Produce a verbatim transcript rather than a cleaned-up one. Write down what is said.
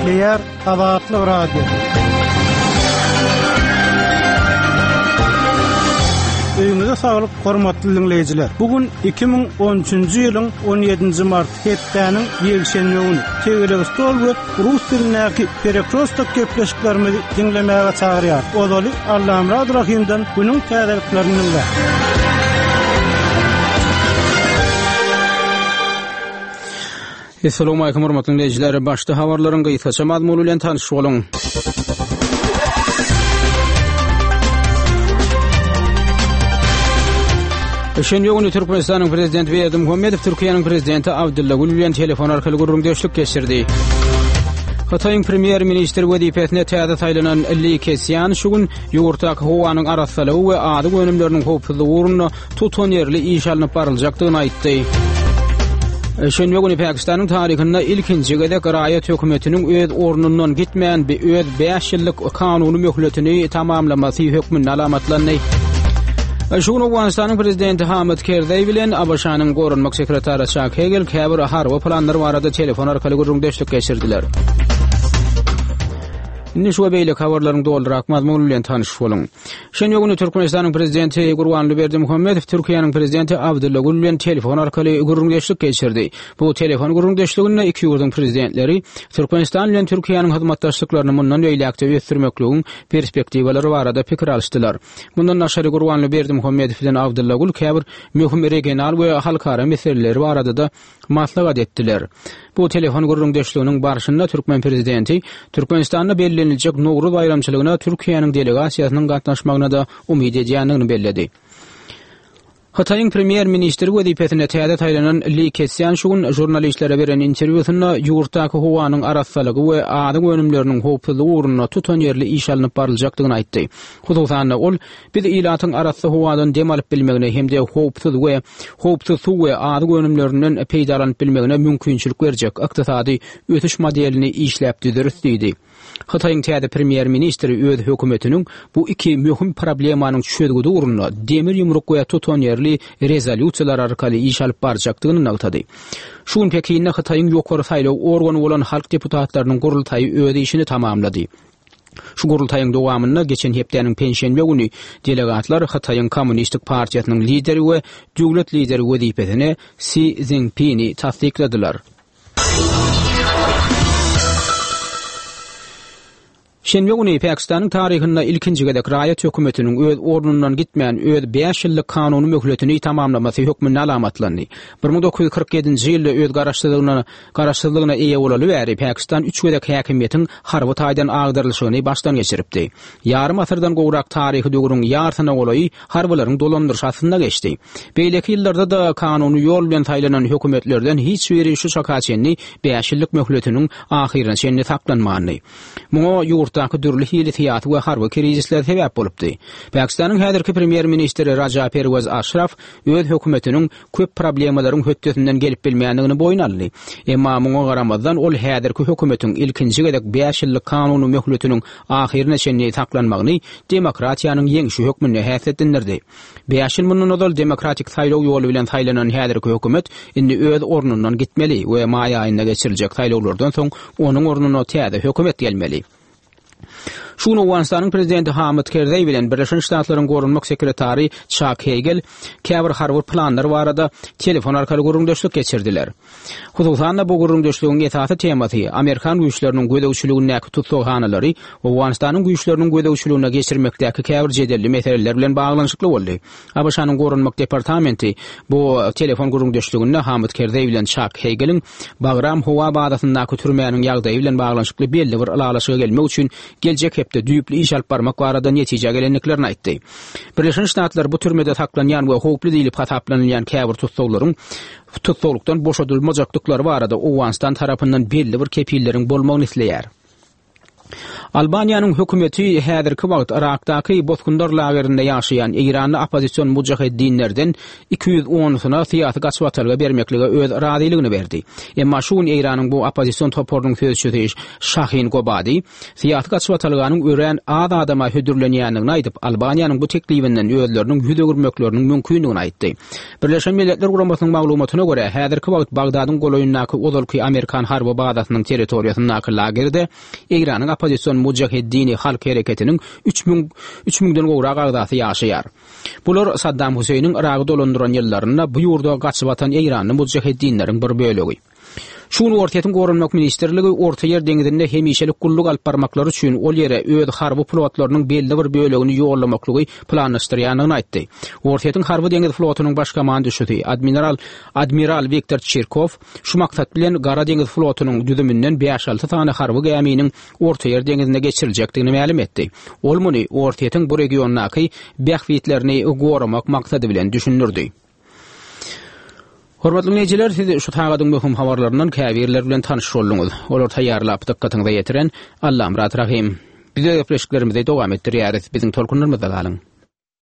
Gepleýär Azatlyk Radiosy. Öýüňize saglyk, hormatly diňleýjiler. Bu gün iki müň on üçünji ýylyň on ýedinji mart hepdäniň ýekşenbe güni. Tegelek stol we rus dilindäki Perekrostok gepleşiklerimizi diňlemäge çagyrýar. Ozaly Allamyrat Rahimden günüň täzeliklerini diňle. Assalamu alaykum hormatly dinleýjiler. Başda habarlaryň gysgaça mazmuny bilen tanyş boluň. Şenbe güni Türkmenistanyň Prezidenti Berdimuhamedow Türkiýäniň Prezidenti Abdylla Gül bilen telefon arkaly gürrüňdeşlik geçirdi. Hytaýyň premýer-ministri wezipesine täze saýlanan Li Keqiang şu gün ýurtdaky howanyň arassalygy we azyk önümleriniň howpsuzlygy ugrunda tutanýerli iş alnyp baryljakdygyny aýtdy. Şenbe güni Pakistanyň taryhynda ilkinji gezek raýat hökümetiniň öz ornundan gitmän bir öz bäş ýyllyk kanuny möhletini tamamlamasy hökmünde alamatlandy. Şu gün Owganystanyň prezidenti Hamid Kerzeý bilen A B Ş-nyň goranmak sekretary Çak Hegel käbir harby planlar barada telefon arkaly gürrüňdeşlik geçirdiler. Indi şu we beýleki habarlaryň dolyrak mazmuny bilen tanyş boluň. Şenbe güni Türkmenistanyň prezidenti Gurbanguly Berdimuhamedow Türkiýäniň prezidenti Abdylla Gül bilen telefon arkaly gürrüňdeşlik geçirdi. Bu telefon gürrüňdeşliginde iki ýurduň prezidentleri Türkmenistan bilen Türkiýäniň hyzmatdaşlyklaryny mundan beýläkde ösdürmekligiň perspektiwalary barada pikir alyşdylar. Mundan daşary Gurbanguly Berdimuhamedow bilen Abdylla Gül käbir möhüm regional we halkara meseleleri barada da maslahat etdiler. Bu telefon gürrüňdeşliginiň barşynda Türkmen prezidenti Türkmenistanda belleniljek Nowruz baýramçylygyna Türkiýäniň delegasiýasynyň gatnaşmagyna da umyt edýändigini belledi. Hytaýyň premýer-ministri wezipesine täze saýlanan Li Keqiang şu gün žurnalistlere beren interwýusynda ýurtdaky howanyň arassalygy we azyk önümleriniň howpsuzlygy ugrunda tutanýerli iş alnyp baryljakdygyny aýtdy. Hususan-da ol biz ilatyň arassa howadan dem alyp bilmegine hem-de howpsuz we howpsuz suw we azyk önümlerinden peýdalanyp bilmegine mümkinçilik berjek ykdysady ösüş modelini işläp düzeris diýdi. Hytaýyň täze premýer-ministri öz hökümetiniň bu iki möhüm problemanyň çözgüdi ugrunda demir ýumruk we tutanýerli rezolýusiýalar arkaly iş alyp barjakdygyny nygtady. Şu gün Pekinde Hytaýyň ýokary saýlaw organy bolan halk deputatlarynyň gurultaýy öz işini tamamlady. Şu gurultaýyň dowamynda geçen hepdäniň penşenbe güni delegatlar Hytaýyň Kommunistik partiýasynyň lideri we döwlet lideri wezipesine Xi Jinping'i tassykladylar. Şenbe güni Pakistanyň taryhynda ilkinji gezek raýat hökümetiniň öz ornundan gitmän öz bäş ýyllyk kanuny möhletini tamamlamasy hökmünde alamatlandy. bir müň dokuz ýüz kyrk ýedinji ýylda öz garaşsyzlygyna, garaşsyzlygyna eýe bolaly bäri Pakistan üç gezek häkimiýetiň harby taýdan agdarylyşygyny başdan geçiripdi. Ýarym asyrdan gowrak taryhy döwrüň ýarsyna golaýy harbylaryň dolandyryş astynda geçdi. Beýleki ýyllarda-da kanuny ýol bilen saýlanan hökümetlerden hiç biri şu çaka çenli bäş ýyllyk möhletiniň ahyryna çenli saklanmandy. Muňa ýurtdaky dürli hili syýasy we harby krizisler sebäp bolupdy. Pakistanyň häzirki premýer-ministri Raja Perwez Aşraf öz hökümetiniň köp problemalaryň hötdesinden gelip bilmändigini boýun aldy. Emma muňa garamazdan ol häzirki hökümetiň ilkinji gezek bäş ýyllyk kanuny möhletiniň ahyryna çenli saklanmagyny demokratiýanyň ýeňşi hökmünde häsiýetlendirdi. Bäş ýyl mundan ozal demokratik saýlaw ýoly bilen saýlanan häzirki hökümet indi öz ornundan gitmeli we maý aýynda geçiriljek saýlawlardan soň onuň ornuna täze hökümet gelmeli. Şu gün Owganystanyň prezidenti Hamid Kerzeý bilen Birleşen Ştatlaryň goranmak sekretary Çak Hegel käbir harby planlar barada telefon arkaly gürrüňdeşlik geçirdiler. Hususan-da bu gürrüňdeşligiň esasy temasy Amerikan güýçleriniň gözegçiligindäki tussaghanalary Owganystanyň güýçleriniň gözegçiligine geçirmekdäki käbir jedelli meseleler bilen baglanyşykly boldy. A B Ş-nyň goranmak departamenti bu telefon gürrüňdeşliginde Hamid Kerzeý bilen Çak Hegeliň Bagram howa bazasyndaky türmäniň ýagdaýy bilen baglanyşykly belli bir ylalaşyga gelmek üçin geljek hepde düýpli iş alyp barmak barada netijä gelendiklerini aýtdy. Birleşen Ştatlar bu türmede saklanýan we howply diýlip hasaplanylýan käbir tussaglaryň tussaglykdan boşadylmajakdyklary barada Owganystan tarapyndan belli bir kepilleriň bolmagyny isleýär. Albaniýanyň hökümeti häzirki wagt Yrakdaky bosgunlar lagerinde ýaşaýan eýranly oppozision mujaheddinlerden iki ýüz onusyna syýasy gaçybatalga bermeklige öz razylygyny berdi. Emma şu gün Eýranyň bu oppozision toparynyň sözçüsi Şahin Gobadi syýasy gaçybatalganyň örän az adama hödürlenýändigini aýdyp, Albaniýanyň bu teklibinden özleriniň ýüz öwürmekleriniň mümkindigini aýtdy. Birleşen Milletler Guramasynyň maglumatyna görä, häzirki wagt Bagdadyň golaýyndaky ozalky amerikan harby bazasynyň territoriýasyndaky lagerde Eýranyň oppozision Mujaheddini halk hereketiniň üç müň üç müňden gowrak agzasy ýaşaýar. Bular Saddam Hüseýniň Yragy dolandyran ýyllarynda bu ýurda gaçyp atan eýranly mujaheddinleriň bir bölegi. Şu gün Orsýetiň Goranmak ministrligi Ortaýer deňzinde hemişelik gulluk alyp barmaklary üçin ol ýere öz harby flotlarynyň belli bir bölegini ýollamaklygy planlaşdyrýandygyny aýtdy. Orsýetiň harby deňiz flotunyň baş komanduşysy admiral admiral Wiktor Çirkow şu maksat bilen Gara deňiz flotunyň düzüminden bäş-alty sany harby gäminiň Ortaýer deňzinde geçiriljekdigini mälim etdi. Ol muny Orsýetiň bu regiondaky bähbitlerini goramak maksady bilen düşündirdi. Hormatly diňleýjiler, siz şu sagadyň möhüm habarlaryndan käbirleri bilen tanyş bolduňyz. Olary taýýarlap, dykgatyňyza ýetiren Allamyrat Rahym. Biz öz gepleşiklerimizi dowam etdirýäris. Biziň tolkunlarymyzda galyň.